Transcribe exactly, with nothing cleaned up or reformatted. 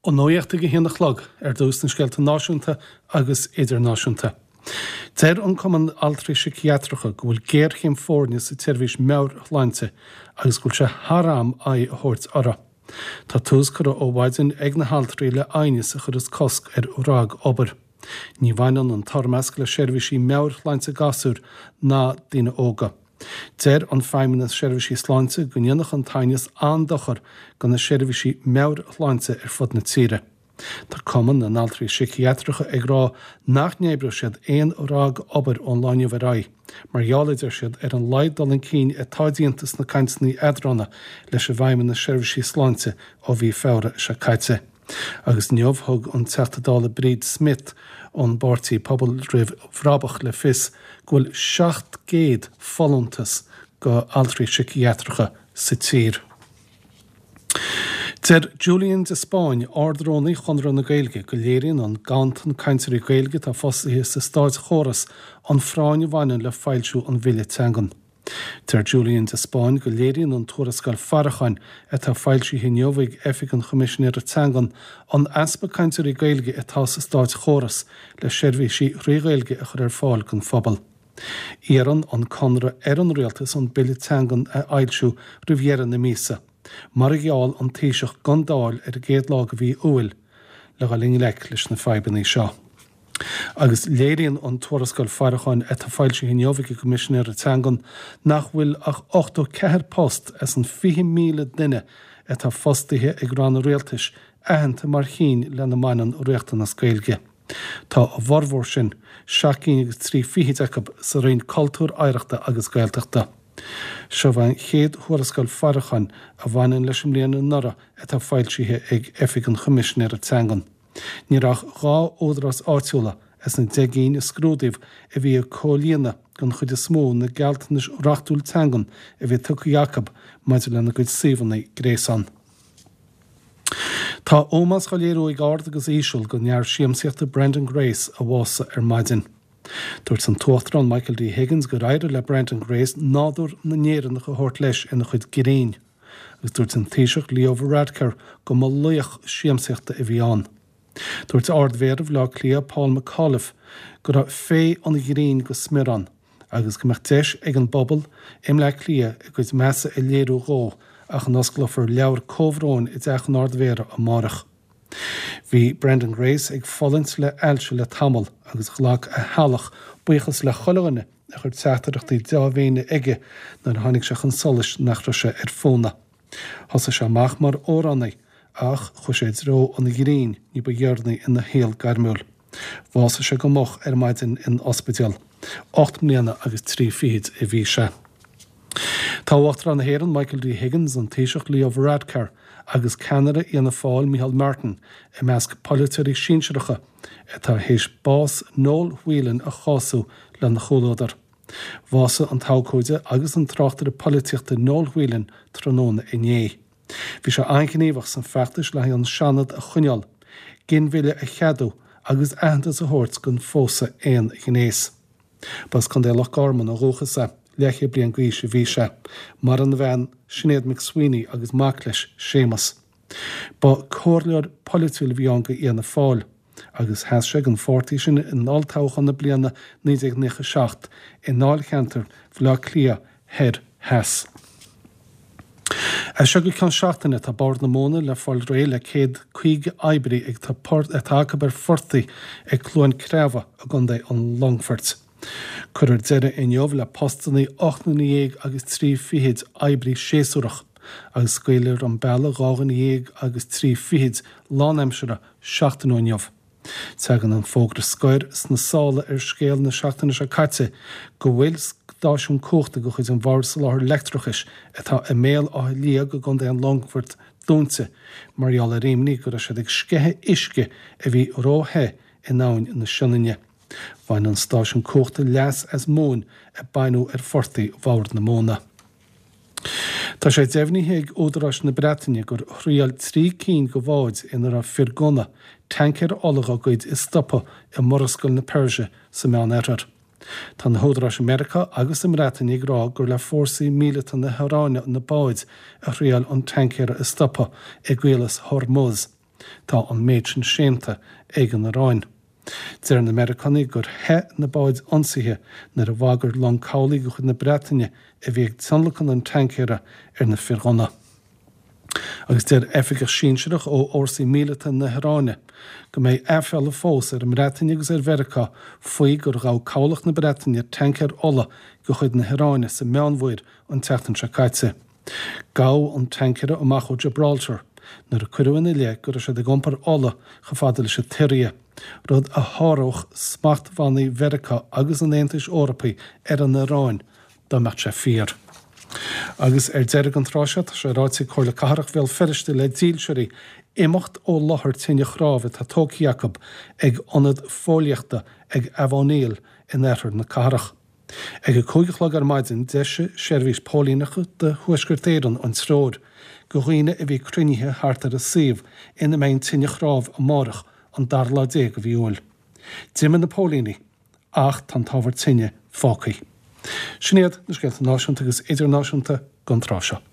An nuacht ag a haon a chlog ar dtús na scéalta náisiúnta agus idirnáisiúnta. Deir an Cumann Altraí Síciatracha go bhfuil géarchéim foirne sa tseirbhís meabhairshláinte agus go bhfuil sé thar am aghaidh a thabhairt uirthi. Tá tús curtha ó mhaidin ag na haltraí le aighneas a chuirfeas cosc ar ragobair. Ní bhaineann an toirmeasc le seirbhísí meabhairshláinte gasúr ná daoine óga. Deir an Feidhmeannas Seirbhísí Sláinte go ndéanfadh an t-aighneas an-dochar do na seirbhísí meabhairshláinte ar fud na tíre. Tá Cumann na nAltraí Síciatracha ag rá nach n-oibreoidh siad aon ragobair ón lá inniu ar aghaidh, mar gheall, a deir siad, ar an laghad dul chun cinn atá déanta sna cainteanna eadrána leis an bhFeidhmeannas Seirbhísí Sláinte ó mhí Feabhra seo caite. Agus inniu thug an Teachta Dála Bríd Smith ón bpáirtí Pobal Roimh Bhrabach le fios go bhfuil seacht gcéad folúntas go altraí síciatracha sa tír. Deir Julian de Spáinn, Ard-Rúnaí Chonradh na Gaeilge, go léiríonn an ganntan cainteoirí Gaeilge atá fostaithe sa státchóras an phráinn a bhaineann le foilsiú an Bhille Teangan. Deir Julian de Spáinn go léiríonn an tuarascáil faireacháin atá foilsithe inniu ag Oifig an Choimisinéara Teangan an easpa cainteoirí Gaeilge atá sa státchóras le seirbhísí trí Ghaeilge a chur ar fáil don phobal. Iarrann an Conradh ar an Rialtas an Bille Teangan a fhoilsiú roimh dheireadh na míosa, mar a gheall an Taoiseach don Dáil ar an gcéad lá de mhí Iúil, le dhul i ngleic leis na fadhbanna seo. Agus léiríonn an tuarascáil faireacháin atá foilsithe inniu ag an gCoimisinéir Teangan nach bhfuil ach ochtó ceathair post as an fiche míle duine atá fostaithe ag ranna rialtais aitheanta mar chinn lena mbaineann riachtanas Gaeilge. Tá a bhformhór sin, seacht gcinn agus trí fichid acu, sa Roinn Cultúir, Oidhreachta agus Gaeltachta. Seo an chéad thuarascáil faireacháin a bhaineann leis an mbliain anuraidh atá foilsithe ag Oifig an Choimisinéara Teangan. Ní raibh ach dhá údarás áitiúla as na deich gcinn a scrúdaíodh a bhí ag comhlíonadh den chuid is mó na gealltanais reachtúil teangan a bhí tugtha acu maidir lena gcuid suíomhanna gréasáin. Tá ómós á léiriú ag ard agus íseal don fhear siamsaíochta Brendan Grace a bhásaigh ar maidin. Dúirt an tUachtarán Michael D. Higgins gur éirigh le Brendan Grace nádúr na nÉireannach a thabhairt leis ina chuid grinn, agus dúirt an Taoiseach Leo Varadkar go mba laoch siamsaíochta a bhí ann. Dúirt Ard-Mhéara Bhaile Átha Cliath Paul McAuliffe go raibh féith an ghrinn go smior ann agus go mbeadh deis ag an bpobal i mBleá Cliath a gcuid measa a léiriú dhó ach a n-osclófar leabhar comhbhróin i dTeach an Ard-Mhéara amárach. Bhí Brendan Grace ag fulaingt le hailse le tamall agus ghlac a theaghlach buíochas le chuile dhuine a chuir teachtaireachtaí dea-mhéine aige nuair a tháinig sé chun solais nach raibh sé ar fónamh. Thosaigh sé amach mar amhránaí ach chuaigh sé i dtreo an ghrinn ní ba dheireanaí ina shaol gairmiúil. Bhásaigh sé go moch ar maidin in ospidéal. Ocht mbliana agus trí fichid a bhí sé. Tá Uachtarán na hÉireann Michael D. Higgins, an Taoiseach Leo Varadkar agus ceannaire Fhianna Fáil Micheál Martin i measc polaiteoirí sinsearacha atá théis bás Noel Whelan a chású lena chomhluadar. Bhásaigh an t-abhcóide agus an tráchtaire polaitíochta Noel Whelan tráthnóna inné. Bhí sé an-ghníomhach san feachtas le haghaidh an Seanad a choinneáil, ginmhilleadh a cheadú agus aitheantas a thabhairt don phósadh aon ghnéas. Ba as Contae Loch Garman ó dhúchas é, leathchéad bliain d'aois a bhí sé. Maireann a bhean, Sinéad McSweeney agus mac leis, Séamus. Ba comhairleoir polaitiúil a bhí ann do Fhianna Fáil agus sheas sé don pháirtí sin in olltoghchán na bliana naoi déag nócha a seacht i ndáilcheantar Bhaile Átha Cliath Thoir Theas. As seo go ceann seachtaine tá Bord na Móna le fáil réidh le céad caoga oibrí ag atá acu ar phortaigh ag Cluain Creamha i gContae an Longfoirt. Cuirfear deireadh inniu le postanna ocht nduine dhéag agus trí fichid oibrí séasúrach agus scaoilfear an bealach dhá dhuine dhéag agus trí fichid lánaimseartha seachtain ó inniu. Tagann an fógra scoir sna sála ar scéal na seachtaine seo caite go bhfuil stáisiún cumhachta de chuid an Bhoird Soláthair Leictreachais atá i mBéal Átha Liag i gContae an Longfoirt dúnta mar gheall ar imní go raibh siad ag sceitheadh uisce a bhí ró-the in Abhainn na Sionainne. Bhain an stáisiún cumhachta leas as móin a baineadh ar phortaigh Bhord na Móna. Tá sé deimhnithe ag údaráis na Breataine gur thriail trí cinn de bháid ina raibh fir gunna, tancaeir ola dá gcuid a stopadh i Murascaill na Peirse sa Meánoirthear. Tá na húdaráis i Meiriceá agus sa mBreatain ag rá gur le fórsaí míleata na hIaráine na báid a thriail an tancaer a stopadh i gCaolas Hormuz. Tá an méid sin séanta ag an Iaráin. Deir na Meiriceánaigh gur theith na báid ionsaithe nuair a bhagair long cabhlaigh de chuid na Breataine a bhí ag tionlacan an tancaeir ar na fir ghunna. Agus deir oifigeach sinsearach ó fhórsaí míleata na hIaráine go mbeidh aiféala fós ar an mBreatain agus ar Mheiriceá faoi gur ghabh cabhlach na Breataine tancaer ola de chuid na hIaráine sa Meánmhuir an tseachtain seo caite. Gabhadh an tancaer amach ó Gibraltar nuair a cuireadh ina leith go raibh siad ag iompar ola chomh fada leis an tSiria, rud a sháródh smachtbhannaí Mheiriceá agus an Aontais Eorpaigh ar an Iaráin dá mbeadh sé fíor. Agus ar deireadh an tráth seo, tá sé ráite ag Comhairle Cathrach Bhéal Feirste le dílseoirí imeacht ó láthair tine chnámh atá tógtha acu ag ionad fóillíochta ag Avoniel in oirthear na cathrach. Ag a cúig a chlog ar maidin d'eisigh Seirbhís Póilíneachta do Thuaisceart Éireann an treoir do dhaoine a bhí cruinnithe thart ar an suíomh ina mbeidh an tine chnámh amárach an dara lá déag de mhí Iúil. D'imigh na póilíní ach tá an t-ábhar tine fágtha. Sin iad na scéalta náisiúnta agus idirnáisiúnta don tráth seo.